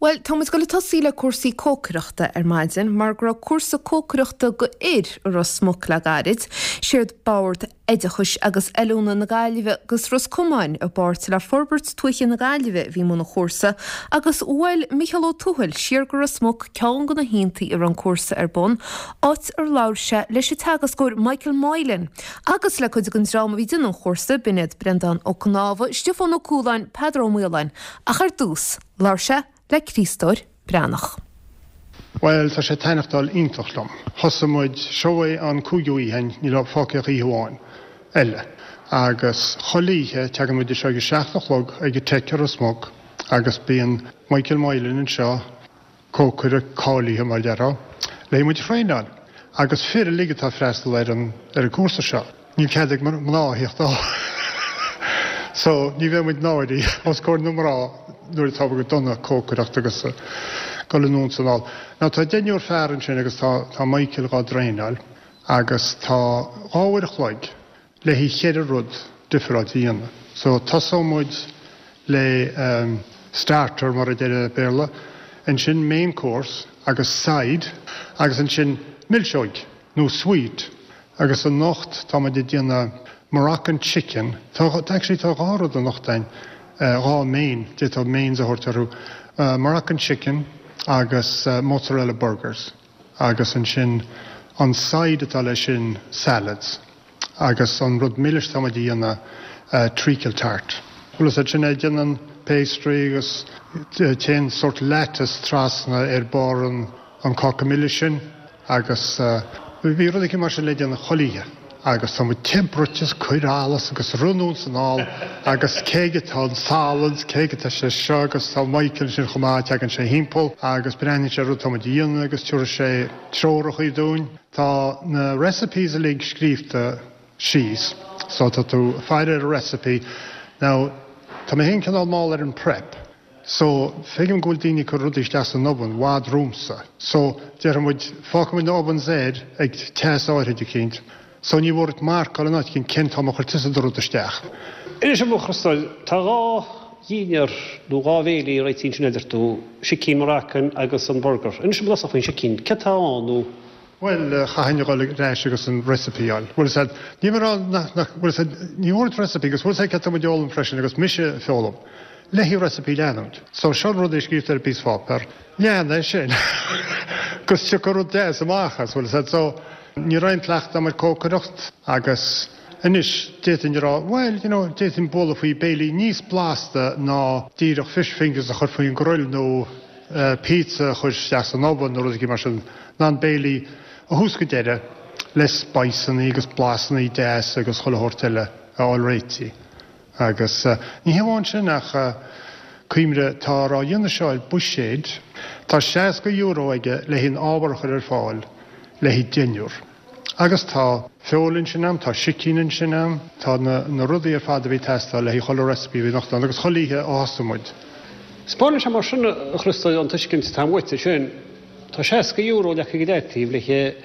Bhuel, tá muid ag dul ag tosaí le cúrsaí cócaireachta ar maidin mar go raibh cúrsa cócaireachta go fhir i Ros Muc le gairid. Séard Bord Oideachais agus Oiliúna na Gaillimhe agus Ros Comáin i bpáirt le Forbairt Tuaithe na Gaillimhe a bhí i mbun an chúrsa agus bhuail Micheál Ó Tuathail siar go Ros Muc ceann de na haontaí a raibh an cúrsa ar bun, áit ar labhair sé leis an teagascóir Michael Moylan agus le cuid den dream a bhí ag déanamh an chúrsa, b'in iad Breandán Ó Cnámha, Stiofán Ó Cualáin, Peadar Ó Maoláin ach ar dtús. Labhair sé le Críostóir Breathnach. Bhuel, tá sé ag taitneachtáil iontach liom. Thosaigh muid, seo é an cúigiú oíche, níl fágtha ach oíche amháin eile. Agus chuile oíche, teagann muid anseo ag a seacht a chlog ag an Teic i Ros Muc agus bíonn Michael Moylan anseo, cócaire cáilithe mar a déarfá, le muid a thraenáil. Agus fir uilig atá ag freastal ar an ar an gcúrsa seo. Níl cead ag mná a theacht ann. So, ní bheidh muid náirithe os comhair na mná nuair atá go dona ag cócaireacht agus ag dul anonn is anall. Now tá deichniúr fear ansin agus tá tá Michael dhá dtraenáil agus tá dhá uair a chloig le haghaidh cheithre rud difreáilte a dhéanamh. So tosóidh muid le starter mar a deir Béarla, ansin main course agus side agus ansin milseoig nó sweet agus anocht tá muid ag déanamh Moroccan chicken, tá actually tá dhá rud anocht againn, dhá main, d'fhéadfá mains a thabhairt orthu, Moroccan chicken agus mozzarella burgers. agus ansin an side atá leis sin salads agus an rud milis atá muid a dhéanamh treacle tart. Bhfuil fhios agat sin é déanann pastry agus téann sórt lattice trasna ar barr an an cáca milis sin agus bhí rud éicint mar sin le déanamh chuile oíche. Agus tá muid te bruite is cuir allas agus rith anonn is anall agus cé aige atá an salann 's cé aige atá sé seo agus tá Michael ansin chomh maith, teagann sé thimpeall agus breathnaíonn sé ar rud atá muid a dhéanamh agus tabharfaidh sé treorachaí dúinn. Tá na recipes uilig scríobhta síos so tá tú ag faire ar an recipe. Now tá mé féin cineál mall ar an prep. So, feicim go bhfuil daoine ag cur rudaí isteach san oven i bhfad romhamsa. So, déarfaidh muid, fágfaidh muid na ovens air ag teas áirid eicínt. So, ní mhór duit marcáil in áit eicínt cén t-am a chuir tusa do rud isteach. Anois, a Chriostóir, tá dhá dhinnéar nó dhá bhéile réitithe ansin a deir tú, sicín Moroccan agus an burger. Inis dom i dtosach faoin sicín, céard atá ann nó. Bhuel, chaithfinn a dhul ar ais agus an recipe a fháil. Bhfuil fhios agat, ní mé a rá nach, nach, bhfuil fhios agat, ní mhór duit recipe agus bhfuil fhios agat céard tá muid a fhoghlaim freisin agus mise ag foghlaim, le haghaidh recipe a leanúint. So seo an rud é scríobhta ar phíosa pháipéar, lean é sin agus tiocfaidh rud deas amach as, bhfuil fhios agat. So ní raibh aon cleachtadh agam ar cócaireacht agus anois d'fhéadfainn a rá, bhuel, you know, d'fhéadfainn bualadh faoi béilí níos blasta ná díreach fish fingers a chur faoin grill nó pizza a chur isteach san oven nó rud éigin mar sin, in ann béilí ó thús go deireadh le spiceannaí agus blasannaí deas agus chuile shórt eile a fháil réitithe. Agus ní hé amháin sin ach cuimhnigh, táthar á dhéanamh seo ar buiséad, tá €60 aige le haghaidh an ábhar a chur ar fáil le haghaidh deichniúr. Agus tá feoil ansin a'm, tá sicín ansin a'm, tá na, na rudaí ar fad a bhí ag teastáil le haghaidh chuile recipe a bhí anocht ann agus chuile oíche ó thosaigh muid. Spáineann sé mar sin, a Chriostóir, an tuiscint atá uait air sin, tá €60 leagtha ag leataobh le haghaidh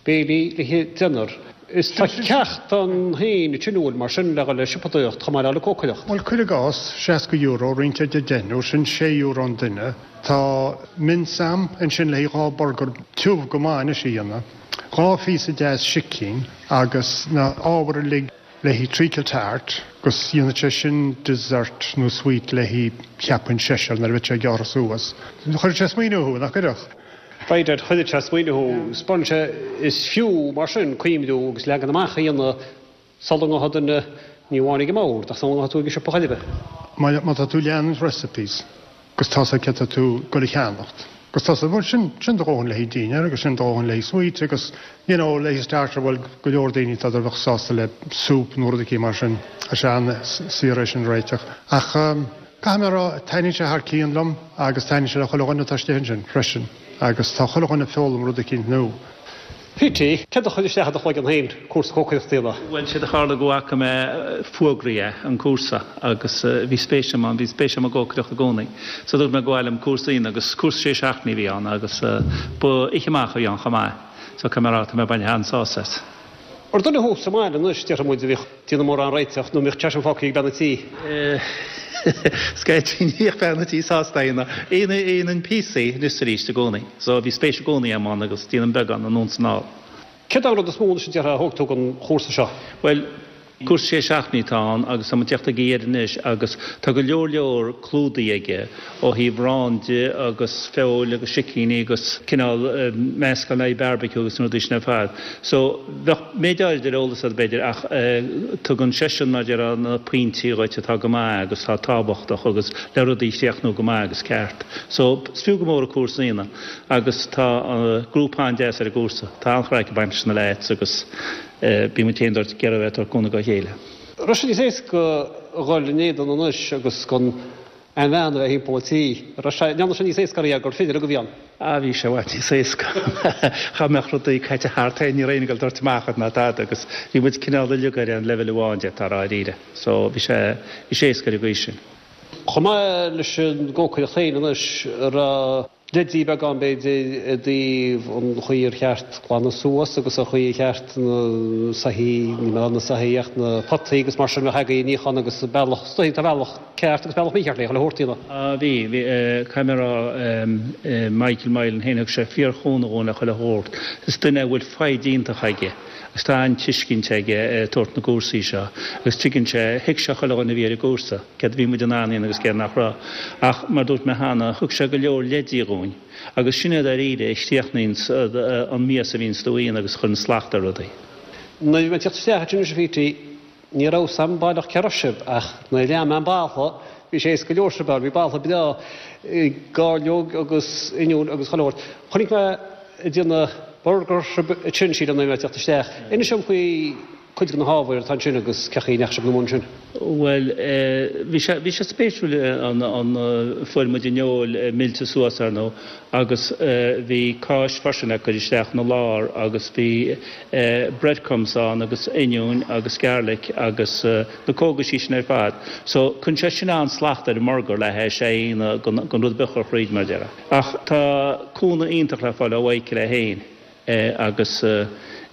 béilí le haghaidh deichniúr. Is tá ceacht ann féin ansin an bhfuil mar sin le dhul le siopadóireacht chomh maith le le cócaireacht. Bhuel, cuir i gcás, €60 roinnte ar deichniúr, sin €6 an duine. Tá mince a'm ansin le haghaidh dhá burgar tiubh go maith anois a dhéanamh. Dhá phíosa deas sicín agus na ábhair uilig le haghaidh treacle tart agus dhéanfadh sé sin dessert nó sweet le haghaidh cheapfainn seisear nuair a bheadh sé gearrtha suas. Chuirfeadh sé smaoineamh thú, nach gcuirfeadh? By dad, chuirfeadh sé smaoineamh thú. Spáineann sé is fiú mar sin cuimhniú agus leagan amach a dhéanamh Sula ngabhfaidh duine, ní amháin ag an mbord, ach sula ngabhfaidh tú ag an siopa chor ar bith. Má tá tú ag leanúint recipes agus tá's agat céard tá tú ag goil a cheannacht agus tá's agat, bhuel sin, sin do dhóthain le haghaidh dinnéar agus sin do dhóthain le haghaidh sweet agus you know le haghaidh starter, bhuel go leor daoine tá bheadh sásta le soup nó rud éicint mar sin, tá sé an-saor é sin a réiteach. Ach caithfidh mé a rá, taitníonn sé thar cionn liom agus taitníonn sé le chuile dhuine atá istigh ansin freisin agus tá chuile dhuine ag foghlaim rud éicint nua. PT, Céard a chuir isteach i do chloigeann féin cúrsa cócaireachta a dhéanamh? Bhuel, séard a tharla go bhfaca mé fógraí é, an cúrsa, agus bhí spéis agam ann, bhí spéis agam i gcócaireacht i gcónaí. So dúirt mé go mba mhaith liom cúrsa a dhéanamh agus cúrsa sé seachtainí a bhí ann agus ba oíche amach a bhí ann chomh maith. So caithfidh mé a rá, tá mé ag baint an-sásamh as. Ar duine thú sa mbaile anois, déarfaidh muid, a bhíodh ag déanamh mórán réiteach nó an mbíodh sé sin fágtha ag bean an tí? Scaití ní bhíodh bean an tí sásta é a dhéanamh. Dhéanainn píosaí anois is arís i gcónaí. So bhí spéis i gcónaí agam ann agus déanaim beagán anonn is anall. Céard é an rud is mó anois a déarfá a thóg tú den chúrsa seo? Bhuel, Cúrsa sé seachtainí atá ann agus tá muid ag teacht ag a dheireadh anois agus tá go leor leor clúdaithe aige ó thaobh arán de agus feoil agus sicíní agus cineál meascán le haghaidh barbecue agus na rudaí sin ar fad. So bheadh méid áirid ar eolas agat b'fhéidir ach tugann seisean mar a déarfá na pointí dhuit atá go maith agus atá tábhachtach agus le rudaí a chríochnú go maith agus ceart. So is fiú go mór an cúrsa a dhéanamh agus tá grúpa an-deas ar an gcúrsa. Tá an-chraic ag baint leis na leaids agus. Bíonn muid féin ag iarraidh a bheith ag tabhairt cúnamh dá chéile. Raibh sé níos éasca a dhul in éadan anois agus gan aon bhean a bheith thimpeall an tí. Raibh sé, ndearna sé níos éasca oraibh gur fir a bhí ann? Ah bhí sé i bhfad níos éasca. Cha mbeadh rudaí caite thart féin, ní raibh éinne ag dul ag doirteadh amach ort ná tada agus bhí muid cineál uilig ar aon leibhéal amháin d'fhéadfá a rá dáiríre. So bhí sé, bhí sé éasca ar an gcaoi sin. Chomh maith leis an gcócaireacht féin anois, raibh. leidí beagán b'fhéidir i dtaobh an chaoi ar cheart glanadh suas agus an chaoi ar cheart na soithí, ní mé na soithí ach na potaí agus mar sin a bheith agaibh a níochán agus bealach, is dóigh tá bealach ceart agus bealach mícheart le chuile shórt a dhéanamh. Á bhí, bhí, caithfidh mé a rá, Michael Moylan féin, thug sé fíorchúnamh dhúinn le chuile shórt. Is duine a bhfuil foighid iontach aige agus tá an-tuiscint aige ar tabhairt na gcúrsaí seo agus tuigeann sé, thuig sé chuile dhuine a bhí ar an gcúrsa. céard a bhí muid in ann a dhéanamh agus céard nach raibh. Ach, mar a dúirt mé cheana, thug sé go leor leidí dhúinn, agus sin é dáiríre a chríochnaíonns an mias a bhíonns tú a dhéanamh agus a chuireann slacht ar rudaí. Nuair a bhí mé ag teacht isteach ansin anois a Phete, ní raibh 's a'm baileach cé raibh sibh, ach nuair a lean mé an balla, bhí sé éasca go leor sibh a fháil, bhí balla breá, gairleog agus oinniún agus chuile shórt. Chonaic mé ag déanamh burger sibh ansin, sílim, nuair a bhí mé ag teacht isteach. Inis dom faoi. cuid de na hábhair atá ansin agus cén chaoi a ndeachaigh sibh ina mbun sin. Bhuel, bhí sé, bhí sé spéisiúil an, an, fuair muid an fheoil millte suas ar ndóigh agus bhí cáis freisin le cur isteach ina lár agus bhí breadcrumbs ann agus oinniúin agus garlic agus na cógaisí sin ar fad. So, cuireann sé sin an-slacht ar an mburgar le hais é a dhéanamh gan, gan rud ar bith a chur thríd mar a déarfá. Ach tá cúnamh iontach le fáil ó Mhichael é féin. agus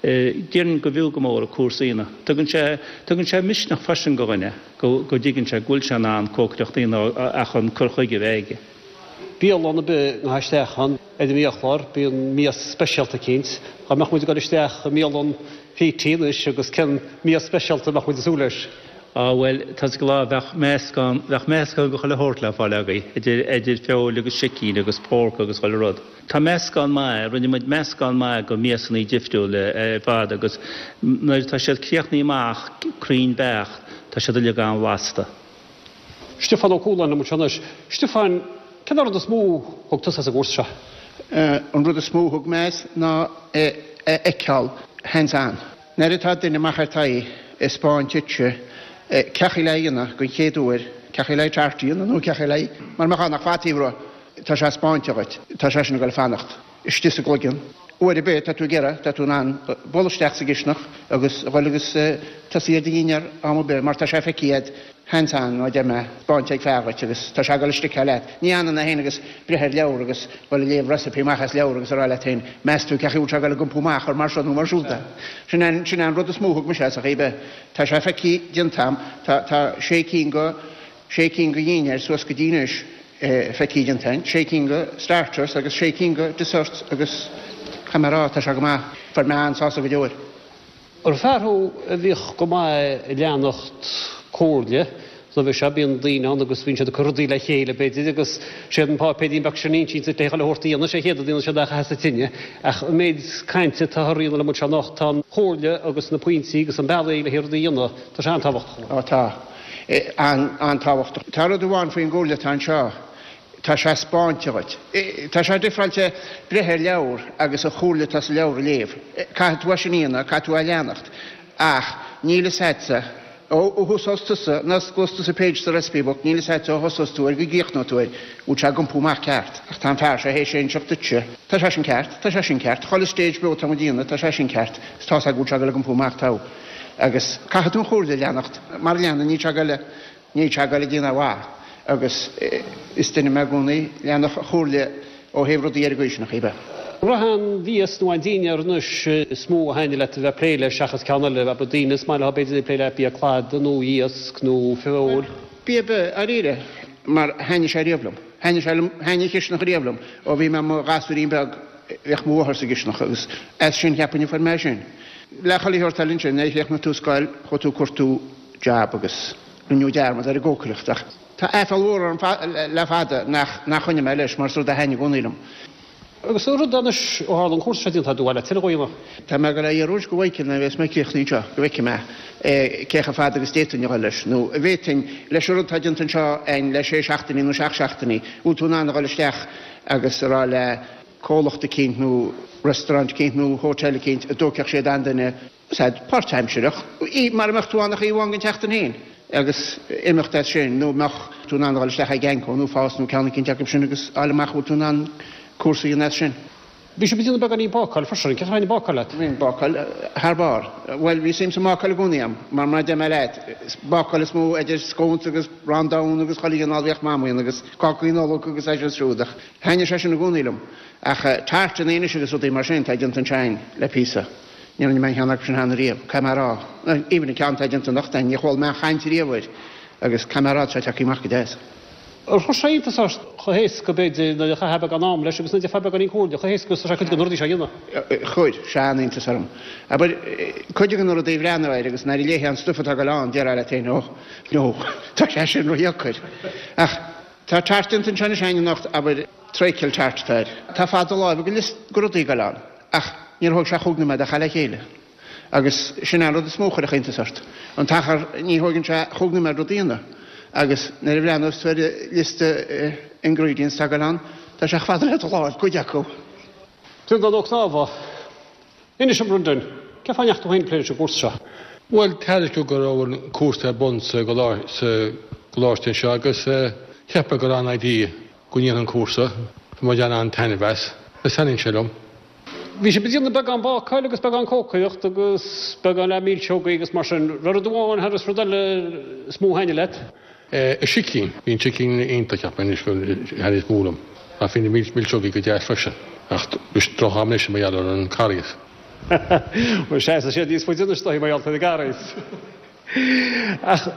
déarfainn go bhfiú go mór an cúrsa a dhéanamh. Tugann sé, tugann sé misneach freisin go dhuine go, go dtuigeann sé go bhfuil sé in ann cócaireacht a dhéanamh ach an cur chuige a bheith aige. Bialann ar bith a ngabhfá isteach ann ar an mbiachlár, bíonn mias speisialta eicínt. Dá mbeadh muid ag dul isteach i mbialann Phete anois agus cén mias speisialta a mbeadh muid ag súil leis? Á bhuel, tá's ag lá, bheadh meascán, bheadh meascán de chuile shórt le fáil agaibh, idir, idir feoil agus sicín agus pork agus chuile rud. Tá meascán maith, rinne muid meascán maith de mhiasanna difriúla ar fad agus nuair atá siad críochnaithe amach cruinn beacht, tá siad uilig an-bhlasta. Stiofán Ó Cualáin liom anseo anois. Stiofán, cén rud is mó a thug tusa as an gcúrsa seo? An rud is mó a thug mé as ná é a fheiceáil hands on. Nuair atá duine amach ar t'aghaidh ag 'spáint duitse cé chaoi le dhéanamh den chéad uair, cé chaoi le tart a dhéanamh nó cé chaoi le, mar mbeadh ann ach fataí a bhruith. Tá sé 'spáinte dhuit. Tá sé sin ag dul fanacht istigh sa gcloigeann. Uair ar bith tá tú ag iarraidh, tá tú in ann bualadh isteach sa gcisteanach agus a dhul agus tosaí ar do dhinnéar am ar bith mar tá sé feicthe a'd hands on, mar a deir mé, 'spáinte ag fear dhuit agus tá sé ag dul stickáil leat. Ní fhanann é féin agus breith ar leabhar agus dhul ag léamh recipe amach as leabhar agus a rá leat féin, meas tú cé chaoi bhfuil sé ag dul ag iompú amach ar mar seo nó mar siúd é. Sin é, sin é an rud is mó a thug mise as a chaoi ar bith. Tá sé feicthe déanta a'm. Tá, tá sé cinn go, sé cinn go dhinnéir suas go dtí anois. feicthe déanta a'inn, sé cinn go starters agus sé cinn go desserts agus caithfidh mé a rá, tá sé go maith, fuair mé an-sásamh go deo air. Ar fear thú a bhíodh go maith ag leanacht comhairle roimhe seo, bíonn daoine ann agus bíonn siad ag cur rudaí le chéile b'fhéidir agus séard an páipéirín beag sin a insíonns duit le chuile shórt a dhéanamh, sé an chéad rud a dhéanann siad ná a chaitheamh sa tine. Ach an méid cainte atá á dhéanamh liom anseo anocht, tá an chomhairle agus na pointí agus an bealaí le rudaí a dhéanamh, tá sé an-tábhachtach. Ó tá. an-tábhachtach. Tá rud amháin faoin gcomhairle atá anseo, tá sé 'spáinte dhuit. Tá sé difreáilte breith ar leabhar agus an chomhairle atá sa leabhar a léamh. Caithfidh tú é sin a dhéanamh, caithfidh tú é a leanacht. Ach níl fhios a'dsa, ó thosós tusa, nuair a osclós tusa page sa recipe book, níl fhios a'dsa ó thosós tú air go gcríochnóidh tú air, bhfuil sé ag iompú amach ceart. Ach tá an fear seo théis é a inseacht duitse, tá sé sin ceart, tá sé sin ceart, chuile stage beo atá muid a dhéanamh, tá sé sin ceart, is tá's a'd go bhfuil sé ag dul ag iompú amach togha. Agus caithfidh tú an chomhairle a leanacht. Mara leanann, níl sé ag goil, níl sé ag goil ag déanamh mhaith. Agus is duine mé i gcónaí, leanfadh an chomhairle ó thaobh rudaí ar an gcaoi sin, a chaoi ar bith. Raibh aon mhias nó aon dinnéar anois is mó a thaitnigh leat a bheith ag plé leis seachas ceann eile? Abair daoine is maith leo b'fhéidir ag plé le bia cladaigh nó iasc nó feoil. Bia bia, dáiríre, mar thaitnigh sé riamh liom. Thaitnigh sé liom, thaitnigh an chisteanach riamh liom ó bhí mé i mo ghasúirín beag, bhíodh mo mháthair sa gcisteanach agus as sin cheapfainn a fuair mé sin. Le chuile shórt eile ansin, nuair a chríochnaigh tú scoil, chuaigh tú ag cuartú jab agus rinneadh dearmad ar an gcócaireacht ach tá aiféal mhór orm le fada nach nach choinnigh mé leis mar is rud a thaitnigh i gcónaí liom. Agus an rud anois, ó tharla an cúrsa seo déanta agat, ar mhaith leat tuilleadh a dhéanamh? Tá mé ag dul a iarraidh go Mhichael nuair a bheas mé críochnaithe anseo, go bhfeicfidh mé cé chomh fada agus d'fhéadfainn a dhul leis, nó an bhféadfainn, leis an rud atá déanta anseo againn le sé seachtainí nó seacht seachtainí, bhfuil tú in ann a dhul isteach agus a rá le comhlacht eicínt nó restaurant eicínt nó hotel eicínt an dtógfadh siad aon duine Sea, páirtaimsireach, mar a mbeadh tú ann ach oíche amháin den tseachtain féin agus imeacht as sin, nó mbeadh tú in ann a dhul isteach ag Anco nó Fás nó ceann eicínt acu sin agus fháil amach bhfuil tú in ann cúrsa a dhéanamh as sin. Bhí sibh ag déanamh beagáinín bácáil freisin, cén chaoi a thaitnigh bácáil leat? Bhí an bácáil thar barr. Bhuel, bhí suim sa mbácáil i gcónaí agam, mar mar a deir mé leat, bácáil is mó idir scones agus arán donn agus chuile chineál a bhíodh Mam a dhéanamh agus cácaí Nollag agus é seo is siúd ach thaitnigh sé sin i gcónaí liom. Ach tartanna anois agus rudaí mar sin atá déanta anseo againn le píosa. Ní rinne mé aon cheann acu sin cheana riamh, caithfidh mé a rá. Even an ceann atá déanta anocht againn, níor chuala mé aon chaint riamh air agus caithfidh mé a rá tá sé tagtha amach go deas. Ar chuir sé iontas ort chomh héasca, b'fhéidir, nuair a chaithfeá beagán ama leis agus nuair a d'fhéadfá beagáinín comhairle, chomh héasca agus tá sé cuid de na rudaí seo a dhéanamh? Chuir sé an-iontas orm. Abair, cuid de na rudaí a bhreathnú air agus nuair a léifeá an stuif atá ag dul ann, déarfá leat féin, oh, no, tá sé sin ródheacair. Ach tá tart déanta anseo anois againn anocht, abair, treacle tart atá air. Tá fad do láimhe go liosta de rudaí ag dul ann. Ach níor thóg sé chúig nóiméad é a chur le chéile. Agus sin é an rud is mó a chuirfeadh iontas ort. An t-achar, ní thóigeann sé chúig nóiméad rud a dhéanamh. Agus nuair a bhreathnós tú ar an liosta ingredients atá ag dul ann, tá sé chomh fada le do láimh, cuid acu. Breandán Ó Cnámha, Inis dom, a Bhrendan, cén fáth a ndeachaigh tú féin ag plé leis an gcúrsa seo? Bhuel, tuairiscíodh go raibh an cúrsa ar bun sa gcoláiste anseo agus cheap mé gur an-idea go ndéanfainn an cúrsa. Tá mé ag baint an-taitneamh as. Is taitníonn sé liom. Bhí sibh ag déanamh beagán bácáil agus beagán cócaireacht agus beagán le milseogaí agus mar sin. Raibh rud amháin thar rud eile is mó a thaitnigh leat? An sicín. Bhí an sicín iontach, cheapfainn anois gur thaitnigh is mó liom. Ach bhí na milseogaí go deas freisin. Ach bhí droch-am anois mar gheall ar an Carghas. Bhuel, seasfaidh siad níos faide anois dóigh mar gheall ar an gCarghas. Ach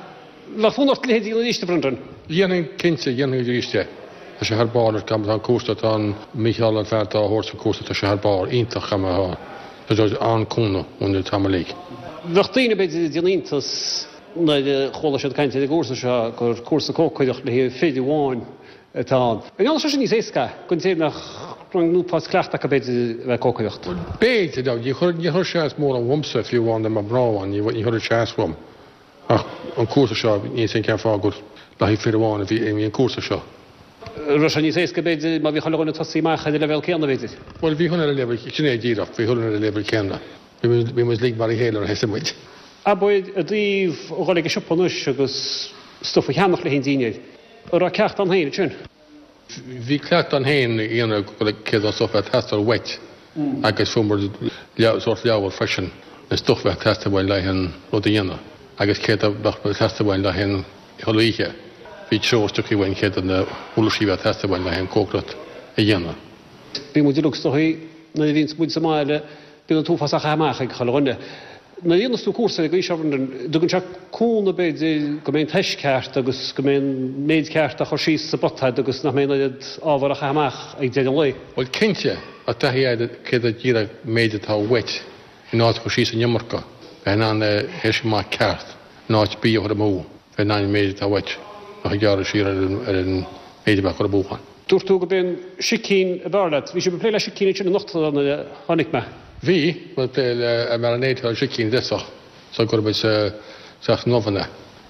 bheadh fonn ort a leithéid a dhéanamh arís, a Bhrendan? Dhéanfainn, cinnte, dhéanfainn arís é. Tá sé thar barr, an tá an cúrsa, tá an Mícheál an fear atá á thabhairt an cúrsa, tá sé thar barr, iontach an atá. Tá sé an-cúnamh ón an t-am uilig. Bheadh daoine, b'fhéidir, ag déanamh iontas nuair a chuala siad caint ar an gcúrsa seo gur cúrsa cócaireacht le haghaidh fir amháin atá ann. An ndéanann sé sin níos éasca don té nach raibh an uafás cleachtadh acu b'fhéidir a bheith ag cócaireacht? B'fhéidir, now ní chuir ní chuir sé as mórán uaimse fiú amháin dá mbeadh mná ann, ní ní chuirfeadh sé as uaim. Ach an cúrsa seo, níl 'fhios a'm cén fáth gur le haghaidh fir amháin a bhí a bhí an cúrsa seo. Raibh sé níos éasca b'fhéidir má bhí chuile dhuine ag tosaí amach ar an leibhéal céanna b'fhéidir? Bhuel bhí chuile dhuine ar an leibhéal, sin é díreach, bhí chuile dhuine ar an leibhéal céanna. Bhí muid bhí muid uilig mar a chéile nuair a thosaigh muid. Abair i dtaobh a dhul ag an siopa anois agus stuif a cheannach le haghaidh an dinnéir. An raibh ceacht ann féin ansin? Bhí ceacht ann féin a dhéanamh go céard an stuif a bheadh ag teastáil uait agus fuair muid sórt leabhar freisin an stuif a bheadh ag teastáil uainn le haghaidh an rud a dhéanamh agus céard a bheadh ag teastáil uainn le haghaidh an chuile oíche. Bhí treoir tugtha uainn céard na huirlisí a bheadh ag teastáil uainn le haghaidh an cócaireacht a dhéanamh. Bíonn muid uilig is dóigh nuair a bhíonns muid sa mbaile bíonn an t-uafás á chaitheamh amach ag chuile dhuine. Nuair a dhéanas tú cúrsa ar an gcaoi seo, Brendan, dtugann sé cúnamh b'fhéidir go mbeidh an tomhas ceart agus go mbeidh an méid ceart á chur síos sa bpota agat agus nach mbeidh an oiread ábhar á chaitheamh amach ag deireadh an lae. Bhuel cinnte, tá taithí agat céard a díreach méid atá uait in áit a chur síos an iomarca, bheith in ann é a thaisí amach ceart, in áit bia a chur amú, bheith in ann an méid atá uait nach ag gearradh siar ar an méid a bheadh cur amú ann. Dúirt tú gurb é an sicín ab fhearr leat. Bhí sibh ag plé le sicín ansin anocht nuair a tháinig mé. Bhí, bhí ag plé le marinade ar sicín i dtosach sula gcuir muid isteach san oven é.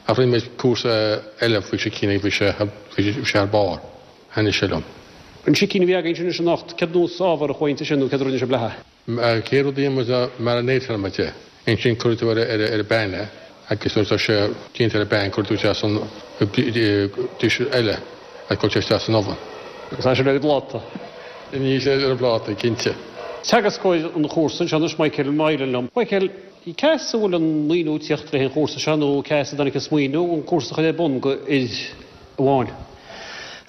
Ach rinne muid cúrsa eile faoi sicín agus bhí sé, bhí sé thar barr. Thaitnigh sé liom. An sicín a bhí againn anois anocht, céard nós ábhar a chuaigh inti sin nó céard a rinne sibh léi? An chéad rud a dhéanann muid ná marinate-álann muid é. Ansin cuirfidh tú ar ar an bpan é agus nuair atá sé déanta ar an bpan cuirfidh tú isteach san dish eile agus cuirfidh sé isteach san oven. Agus tá sé ar an bpláta. Níl sé ar an bpláta, cinnte. Teagascóir an chúrsa anseo anois, Michael Moylan liom. Michael, cá as a bhfuil an maoiniú ag tíocht le haghaidh an chúrsa seo nó cá as a dtáinig an smaoineamh an cúrsa a chur ar bun go fhir amháin?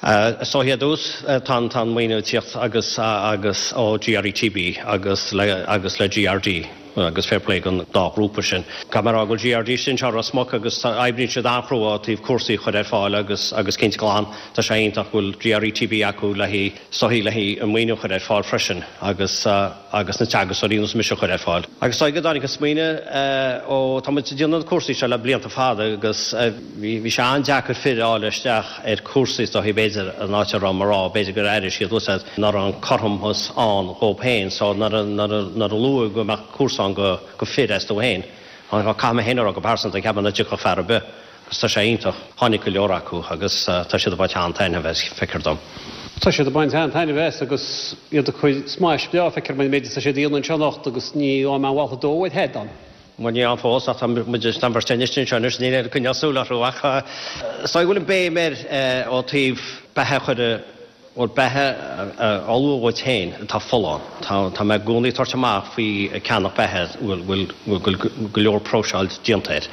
Is dóichí ar dtús tá an maoiniú ag tíocht agus agus ó GRETB agus le agus le GRD agus fair play don dá ghrúpa sin. Caithfidh mé a rá go bhfuil GRD istigh anseo i Ros Muc agus oibríonn siad an-chrua ó taobh cúrsaí a chur ar fáil agus agus cinnte glan tá sé iontach go bhfuil GRETB acu le haghaidh is dóichí le haghaidh an maoiniú a chur ar fáil freisin agus agus na teagascóirí ar nós mise a chur ar fáil. Agus is dóigh go dtáinig an smaoineamh ó, tá muid ag déanamh na cúrsaí seo le blianta fada agus bhí sé an-deacair fir a fháil isteach ar cúrsaí is dóichí b'fhéidir an áit a raibh mé a rá, b'fhéidir gur airigh siad úsáid nach raibh an cothromas ann dhóibh féin so nuair a nuair a nuair a luadh go mbeadh cúrsa ann go go fir astu féin, caithfidh mé féin a rá go pearsanta cheap mé nach dtiocfadh fear ar bith. Agus tá sé iontach. Tháinig go leor acu agus tá siad ag baint an-taitneamh as, feictear dom. Tá siad ag baint an-taitneamh as agus iad ag cur smais breá, feictear dom an méid atá siad a dhéanamh anseo anocht agus ní fhaigh mé aon mhalthadh dó ar thead ann. Bhuel, níl ann fós ach tá muid, tá an bheirt againn istigh anseo anois, níl aon coinneáil súil orthu ach is dóigh go bhfuil an béim air ó taobh beatha a chur i Bhuel, beatha a ullmhú dhuit féin atá folláin. Tá mé i gcónaí ag tabhairt amach faoi ceannach beatha a bhfuil go leor próiseáil déanta air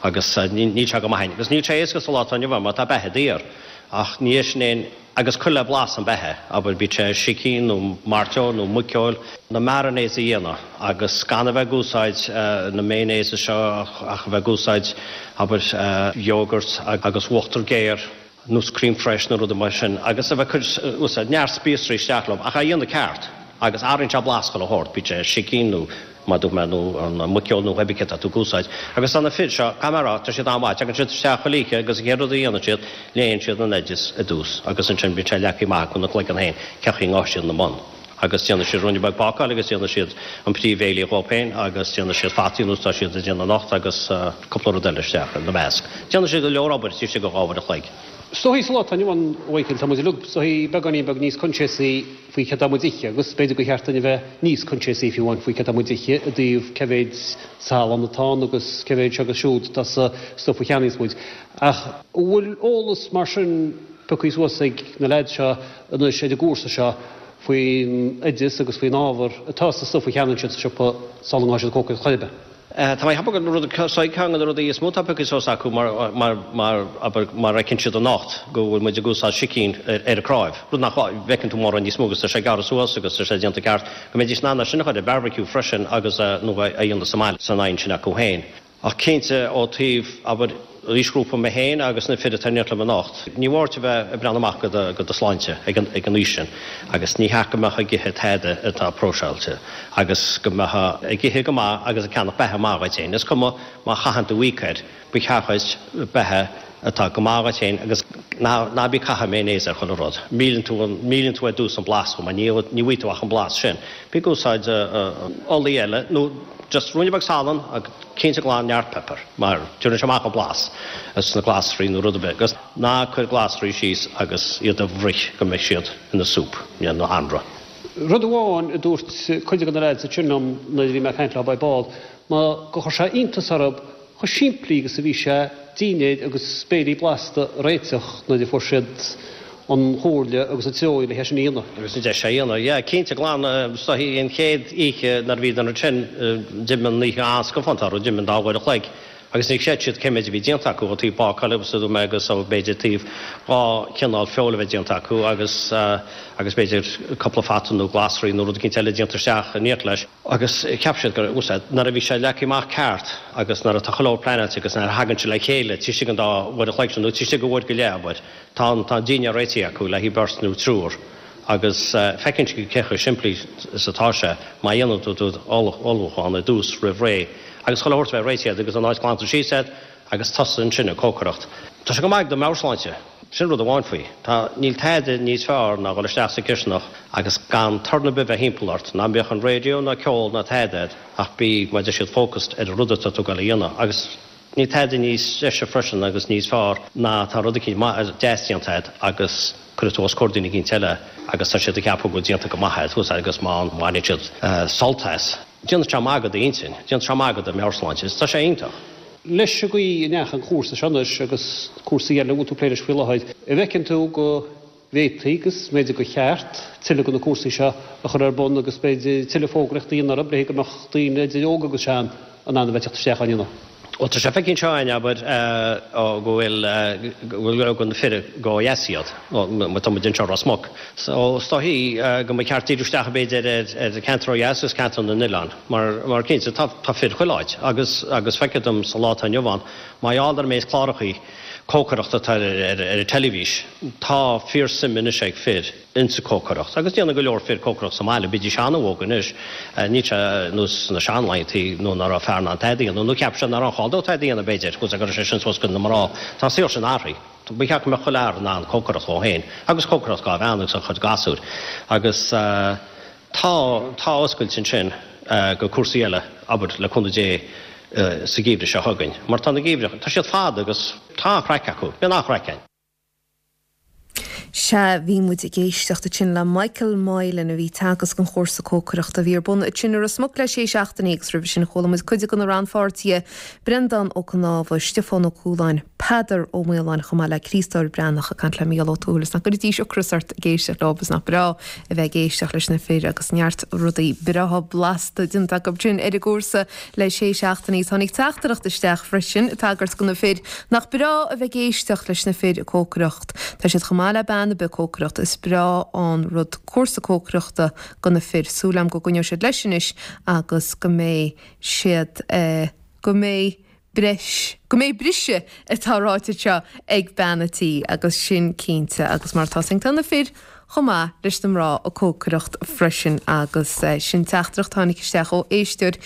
agus níl sé go maith. Agus níl sé éasca sa lá atá inniu ann mar tá beatha daor. Ach ní é sin aon, agus cuir le blas an beatha, abair, bíodh sé sicín nó mairteoil nó muiceoil, na marinades a dhéanamh agus gan a bheith ag úsáid na mayonnaises seo ach a bheith ag úsáid, abair, yogurt agus uachtar géar. nós crème fraîche nó rudaí mar sin agus a bheith ag cur úsáid neart spíosraí isteach leo ach á dhéanamh ceart agus athraíonn sé blas chuile shórt, bíodh sé sicín nó mar dúirt mé nó an muiceoil nó cibé céard atá tú ag úsáid. Agus tá na fir seo, caithfidh mé a rá, tá siad an-mhaith, tagann siad isteach chuile oíche agus an chéad rud a dhéanann siad, léann siad an oideas i dtús agus ansin bíonn sé leagtha amach acu ina gcloigeann féin cén chaoi a ngabhfaidh siad ina mbun. Agus déanfaidh siad ruainne beag bácáil agus déanfaidh siad an príomhbhéile dhóibh féin agus déanfaidh siad fataí nós tá siad ag déanamh anocht agus cúpla rud eile isteach ina measc. Déanfaidh siad go leor obair taobh istigh de 2 uair a chloig. Is dóichí sa lá atá inniu ann, a Mhichael, tá muid uilig is dóichí beagáinín beag níos coinsiasaí faoi céard tá muid ithe agus b'fhéidir gur cheart duinn a bheith níos coinsiasaí fiú amháin faoi céard tá muid ithe i dtaobh cé mhéid salann atá ann agus cé mhéid seo agus siúd atá sa stuif a cheannaíos muid. Ach an bhfuil eolas mar sin pioctha suas ag na leaids seo anois ar an gcúrsa seo faoin oideas agus faoin ábhar atá sa stuif a cheannaíonn siad sa siopa sula ngabhann siad ag cócaireacht chor ar bith. Tá mé ag ceapadh go bhfuil rud, ceann de na rudaí is mó atá pioctha suas acu mar, mar, mar, abair, mar a fheiceann siad anocht go bhfuil muid ag úsáid sicín ar, ar an cnáimh, rud nach bhfeiceann tú mórán níos mó agus tá sé gearrtha suas agus tá sé déanta ceart, go mbeidís in ann é sin a chur ar barbecue freisin agus, nó a dhéanamh sa mbaile san oigheann sin acu féin. Ach cinnte, ó taobh, abair, aoisghrúpa mé féin agus na fir atá in éineacht liom anocht, ní mór duit a bheith ag breathnú amach go do shláinte ag an aois sin agus ní hea go mbeifeá ag ithe tada atá próiseáilte agus go mbeifeá ag ithe go maith agus ag ceannach beatha maith dhuit féin. Is cuma má chaitheann tú íoc air, ba cheart dhuit beatha atá go maith dhuit féin agus ná bí ag caitheamh mayonnaise ar chuile rud. Milleann tú, milleann tú ar dtús an blas chomh maith, ní bhfaighidh tú ach an blas sin. Bí ag úsáid olaí eile nó just ruainne beag salann agus cinnte glan neart pepper mar tabharann sé amach an blas sna glasraí nó rud ar bith agus ná cuir glasraí síos agus iad a bhruith go mbeidh siad ina soup nó anraith. Rud amháin a dúirt cuid de na lads ansin liom nuair a bhí mé ag caint leo ar ball ná gur chuir sé iontas orthu chomh simplí agus a bhí sé dinnéir agus béilí blasta a réiteach nuair a fuair siad an chomhairle agus an treoir le é sin a dhéanamh. Agus an deis é a dhéanamh. Yeah, cinnte glan, is dóichí an chéad oíche nuair a bhíodar ansin, d'imigh an oíche an-scafánta orthu, d'imigh an dá uair a chloig agus ní chreid siad cé méid a bhí déanta acu ó taobh bácáil agus a dúirt mé agus ó b'fhéidir taobh dhá chineál feoil a bheith déanta acu agus agus b'fhéidir cúpla fata nó glasraí nó rud eicínt eile déanta isteach in éineacht leis. Agus cheap siad go raibh úsáid, nuair a bhí sé leagtha amach ceart agus nuair atá chuile shórt pleanáilte agus nuair a thagann sé le chéile taobh istigh den dá uair a chloig sin nó taobh istigh de uair go leith, abair, tá an, tá an dinnéar réitithe acu le haghaidh beirt nó triúr agus feiceann siad cé chomh simplí is atá sé má dhéanann tú do ullmhúchán ar dtús roimh ré agus chuile shórt a bheith réitithe agat agus an áit glanta síos agat agus tusa ansin ag cócaireacht. Tá sé go maith do mheabhairshláinte. Sin rud amháin faoi. Tá, níl tada níos fearr ná dhul isteach sa chisteanach agus gan torann ar bith bheith thimpeall ort, ná bíodh an radio ná ceol ná tada agat ach bí, mar a deir siad, focused ar an rud atá tú ag dul a dhéanamh. Agus níl tada níos deise freisin agus níos fearr ná tá rud eicínt maith, deas déanta agat agus cuirfidh tú os comhair daoine eicínt eile agus tá siad ag ceapadh go bhfuil déanta go maith agat thuas agus má bhaineann siad sult as. Déanann sé maith do d'intinn, déanann sé maith do do mheabhairshláinte is tá sé iontach. Leis an gcaoi a ndeachaigh an cúrsa seo anois agus cúrsaí eile a bhfuil tú ag plé leis faoi láthair, an bhfeiceann tú go bhféadfaí agus b'fhéidir gur cheart tuilleadh de na cúrsaí seo a chur ar bun agus b'fhéidir tuilleadh fógraíochta a dhéanamh orthu le go mbeadh daoine idir óg agus sean in ann a bheith ag teacht isteach á ndéanamh? Bhuel, tá sé feicthe anseo againn, abair, go bhfuil, go bhfuil go leor de na fir ó dheas iad, má tá muid anseo i Ros Muc. So, is dóichí go mba cheart díriú isteach, b'fhéidir, ar ceantar ó dheas agus ceantar na n-oileán, mar, mar cinnte, tá, tá fir chuile áit agus, agus feictear dom sa lá atá inniu ann, mar gheall ar an méid clárachaí cócaireachta atá ar, ar, ar an teilifís, tá fíorsuim anois ag fir. insa cócaireacht. Agus déanann go leor fir cócaireacht sa mbaile, bídís an-óg anois, níl sé ar nós na seanlaethantaí nuair ná raibh fear in ann tada a dhéanamh, nó cheap siad ná raibh aon chall dóibh tada a dhéanamh b'fhéidir, go raibh sé sin suas go na mná. Tá an saol sin athraithe. Ba cheart go mbeadh chuile fhear in ann cócaireacht dhó féin, agus cócaireacht dhá bhean agus dá chuid gasúir. Agus tá, tá oscailt ansin go cúrsaí eile, abair, le cúnamh Dé sa gheimhreadh seo chugainn. Mar tá na geimhreadh, tá siad fada agus tá an-chraic acu, bíonn an-chraic ann. Sea, bhí muid ag éisteacht ansin le Michael Moylan a bhí ag teagasc an chúrsa cócaireachta a bhí ar bun ansin i Ros Muc le sé seachtainí agus roimhe sin chuala muid cuid de na rannpháirtithe, Breandán Ó Cnámha, Stiofán Ó Cualáin, Peadar Ó Maoláin chomh maith le Críostóir Breathnach ag caint le Mícheál Ó Tuathail. Is nach gcuiridís ocras ort ag éisteacht leo is nach breá a bheith ag éisteacht leis na fir agus neart rudaí breátha blasta déanta acu sin ar an gcúrsa le sé seachtainí. Tháinig teachtaireacht isteach freisin ag tagairt do na fir. Nach breá a bheith ag éisteacht leis na fir ag cócaireacht. Tá siad chomh maith le bean ar bith ag cócaireacht. Is breá an rud cúrsa cócaireachta do na fir. Súil agam go gcoinneoidh siad leis anois agus go mbeidh siad, go mbeidh breis, go mbeidh briseadh atá ráite anseo ag bean a' tí agus sin cinnte agus mar atá tá na fir chomh maith leis na mná ag cócaireacht freisin agus sin teachtaireacht a tháinig isteach ó éisteoir.